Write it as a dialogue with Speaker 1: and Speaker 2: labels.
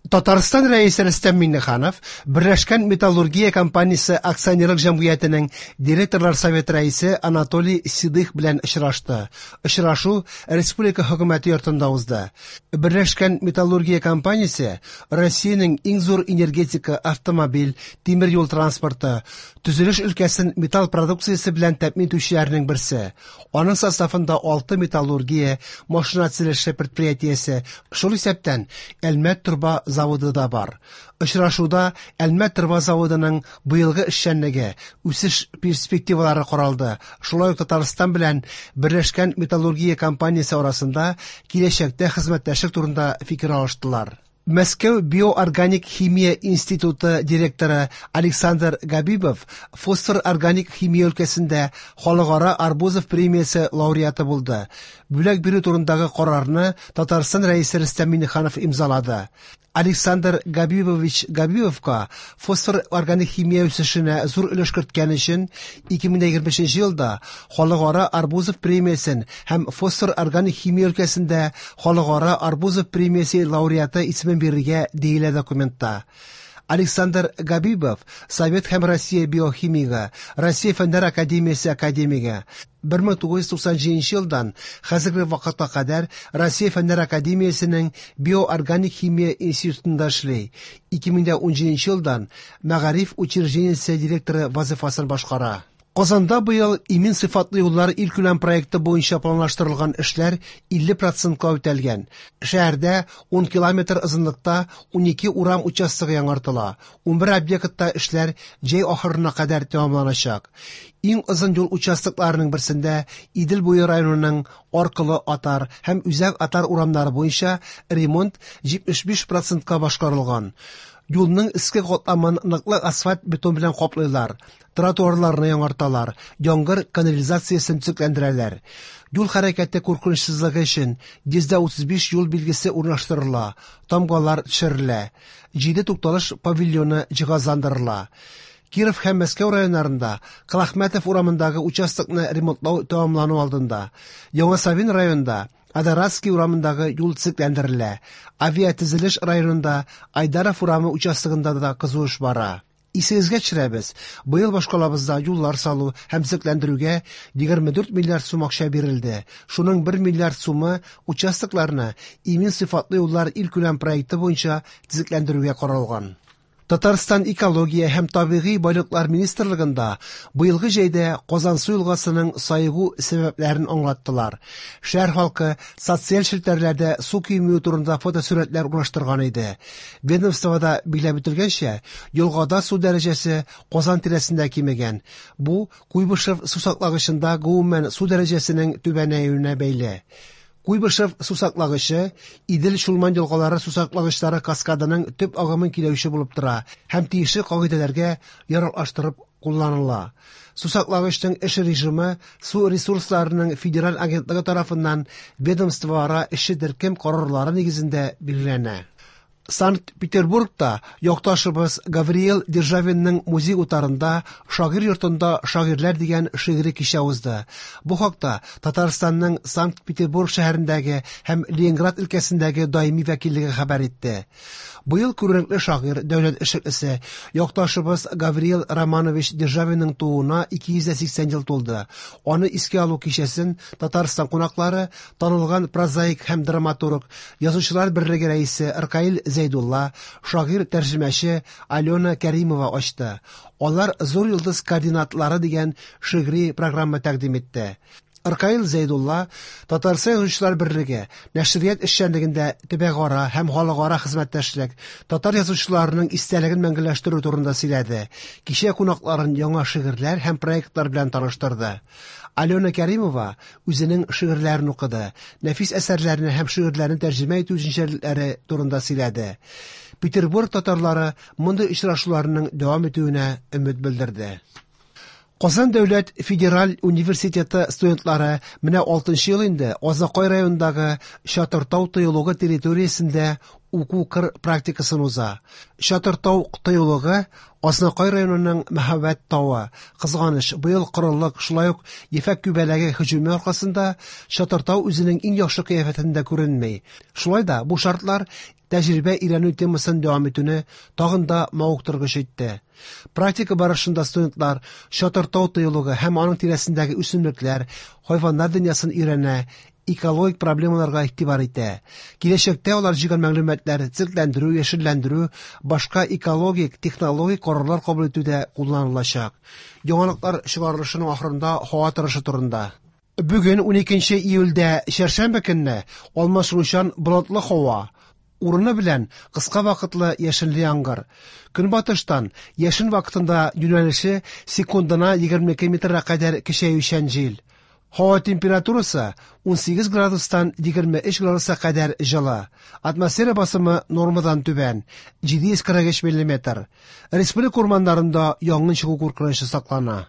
Speaker 1: Татарстан Рәисе Рөстәм Миңнеханов Берләшкән металлургия компаниясе акционерлык җәмгыятенең директорлар советы рәисе Анатолий Седых белән очрашты. Очрашу республика хөкүмәте йортында узды. Берләшкән металлургия компаниясе Россиянең иң зур энергетика, автомобиль, тимер юл транспорты, төзелеш өлкәсен металл продукциясе белән тәэмин итүчеләрнең берсе. Аның составында 6 металлургия, машина төзелеше предприятиесе, шул исәптән Әлмәт торба заводы да бар. Очрашуда Әлмәт торба заводының быелгы эшчәнлеге, үсеш перспективалары каралды. Шулай ук Татарстан белән Берләшкән металлургия компаниясе арасында киләчәктә хезмәттәшлек турында фикер алыштылар. Мәскәү биоорганик химия институты директоры Александр Габибов фосфор органик химия өлкәсендә халыкара Арбузов премиясе лауреаты булды. Бүләк бирү турындагы карарны Татарстан Рәисе Рөстәм Миңнеханов имзалады. Александр Габибович Габибовка фосфор органик химия үсешенә зур өлеш керткән өчен 2025 елда Халыкара Арбузов премиясен һәм фосфор органик химия өлкәсендә Халыкара Арбузов премиясе лауреаты исемен бирергә диелә документта. Александр Габибов Совет һәм Россия биохимигы, Россия Фәннәр академиясе академигы. 1997 елдан хәзерге вакытка кадәр Россия Фәннәр академиясенең биоорганик химия институтында эшли. 2017 елдан Мәгариф учреждениесе директоры вазифасын башкара. Казанда быел имин сыйфатлы юллар илкүләм проекты буенча планлаштырылган эшләр 50%ка үтәлгән. Шәһәрдә 10 километр озынлыкта 12 урам участогы яңартыла. 11 объектта эшләр җәй ахырына кадәр тәмамланачак. Иң озын юл участокларының берсендә Идел буе районының Аркылы Атар һәм Үзәк Атар урамнары буенча ремонт 75%ка башкарылган. Юлның өске катламын ныклы асфальт бетон белән каплыйлар, тротуарларны яңарталар, яңгыр канализациясен төзекләндерәләр. Юл хәрәкәте куркынычсызлыгы өчен 135 юл билгесе урнаштырыла, тамгалар төшерелә. 7 тукталыш павильоны җиһазландырыла. Киров һәм Мәскәү районнарында Колахмәтов урамындагы участокны ремонтлау тәмамлану алдында. Яңа Савин районында Адоратский урамындагы юл төзекләндерелә. Авиатөзелеш районында Айдаров урамы участогында да кызу эш бара. Исегезгә төшерәбез, быел башкалабызда юллар салу һәм төзекләндерүгә 24 миллиард сум акча бирелде. Шуның 1 миллиард сумы участокларны имин сыйфатлы юллар илкүләм проекты буенча төзекләндерүгә каралган. Татарстан экология һәм табигый байлыклар министрлыгында быелгы җәйдә Казансу елгасының саегу сәбәпләрен аңлаттылар. Шәһәр халкы социаль челтәрләрдә су кимүе турында фотосурәтләр урнаштырган иде. Ведомствода билгеләп үтелгәнчә, елгада су дәрәҗәсе Казан тирәсендә кимегән. Бу Куйбышев сусаклагычында гомумән су дәрәҗәсенең түбәнәюенә бәйле. Куйбышев сусаклагычы Идел Чулман елгалары сусаклагычлары каскадының төп агымын көйләүче булып тора һәм тиешле кагыйдәләргә яраклаштырып кулланыла. Сусаклагычның эш режимы су ресурсларының федераль агентлыгы тарафыннан ведомствоара эшче төркем карарлары нигезендә билгеләнә. Санкт-Петербургта якташыбыз Гавриил Державинның музей утарында Шагыйрь йортында шагыйрьләр дигән шигъри кичә узды. Бу хакта Татарстанның Санкт-Петербург шәһәрендәге һәм Ленинград өлкәсендәге даими вәкиллеге хәбәр итте. Быел күренекле шагыйрь, дәүләт эшлеклесе, якташыбыз Гавриил Романович Державинның тууына 280 ел тулды. Аны искә алу кичәсен Татарстан кунаклары, танылган прозаик һәм драматург, Язучылар берлеге рәисе Ркаил Зәйдулла, шагыйрь тәрҗемәче Алена Кәримова ачты. Алар Зур йолдыз координатлары дигән шигъри программа тәкъдим итте. Ркаил Зәйдулла Татарстан Язучылар берлеге нәшрият эшчәнлегендә төбәкара һәм халыкара хезмәттәшлек, татар язучыларының истәлеген мәңгеләштерү турында сөйләде. Кичә кунакларын яңа шигырьләр һәм проектлар белән таныштырды. Алена Кәримова үзенең шигырьләрен укыды, нәфис әсәрләрне һәм шигырьләрен тәрҗемә итү үзенчәлекләре турында сөйләде. Петербург татарлары мондый очрашуларның дәвам итүенә өмет белдерде. Казан дәүләт федераль университеты студентлары менә 6 ел инде Азакай районындагы Чатыртау тыюлыгы территориясендә уку-кыр практикасын уза. Чатыр-тау тыюлыгы Азнакай районының мәһабәт тавы. Кызганыч, быел корылык, шулай ук ефәк күбәләге һөҗүме аркасында Чатыр-тау үзенең иң яхшы кыяфәтендә күренми. Шулай да бу шартлар тәҗрибә өйрәнү темасын дәвам итүне тагын да мавыктыргыч итте. Практика барышында студентлар Чатыр-тау тыюлыгы һәм аның тирәсендәге үсемлекләр, хайваннар дөньясын өйрәнә, экологик проблемаларга игътибар итә. Киләчәктә алар җыйган мәгълүматлар төзекләндерү, яшелләндерү, башка экологик, технологик карарлар кабул итүдә кулланылачак. Яңалыклар чыгарылышының ахырында һава торышы турында. Бүген 12 июльдә чәршәмбе көнне алмашынучан болытлы һава, урыны белән кыска вакытлы яшенле яңгыр. Көнбатыштан яшен вакытында юнәлеше секундына 22 метрга кадәр көчәючән җил. Һава температурасы 18 градустан 23 градуска кадәр җылы. Атмосфера басымы нормадан түбән 743 миллиметр. Республика урманнарында янгын чыгу куркынычы саклана.